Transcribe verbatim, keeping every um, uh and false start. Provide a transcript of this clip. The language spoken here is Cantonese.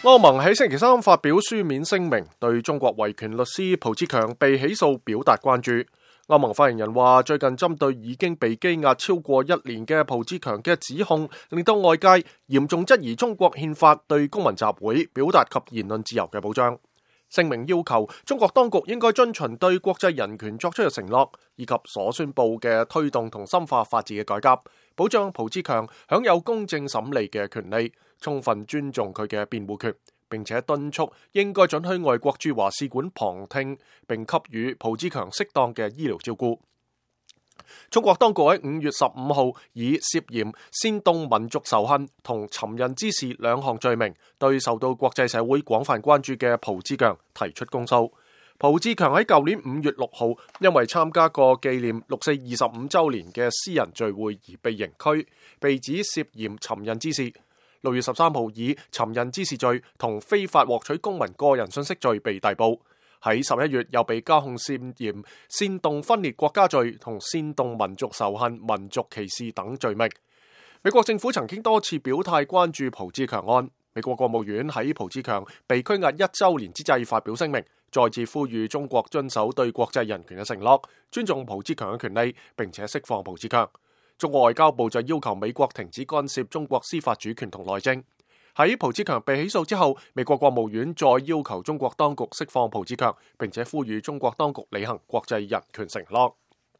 歐盟喺星期三發表書面聲明，對中國維權律師蒲志強被起訴表達關注。歐盟發言人話，最近針對已經被羈押超過一年嘅蒲志強嘅指控，令到外界嚴重質疑中國憲法對公民集會、表達及言論自由嘅保障。聲明要求中國當局應該遵循對國際人權作出嘅承諾，以及所宣佈嘅推動同深化法治嘅改革，保障蒲志強享有公正審理嘅權利，充分尊重佢嘅辯護權，並且敦促應該准許外國駐華使館旁聽，並給予蒲志強適當嘅醫療照顧。中國當局喺五月十五號以涉嫌煽動民族仇恨同尋釁滋事兩項罪名，對受到國際社會廣泛關注嘅蒲志強提出公訴。蒲志強喺舊年五月六號因為參加過紀念六四二十五週年嘅私人聚會而被刑拘，被指涉嫌尋釁滋事。六月十三號以尋釁滋事罪同非法獲取公民個人信息罪被逮捕。喺十一月又被加控涉嫌煽動分裂國家罪同煽動民族仇恨、民族歧視等罪名。美國政府曾經多次表態關注蒲志強案。美國國務院喺蒲志強被拘押一週年之際發表聲明，再次呼籲中國遵守對國際人權嘅承諾，尊重蒲志強嘅權利，並且釋放蒲志強。中國外交部就要求美國停止干涉中國司法主權同內政。喺蒲志強被起訴之後，美國國務院再要求中國當局釋放蒲志強，並且呼籲中國當局履行國際人權承諾。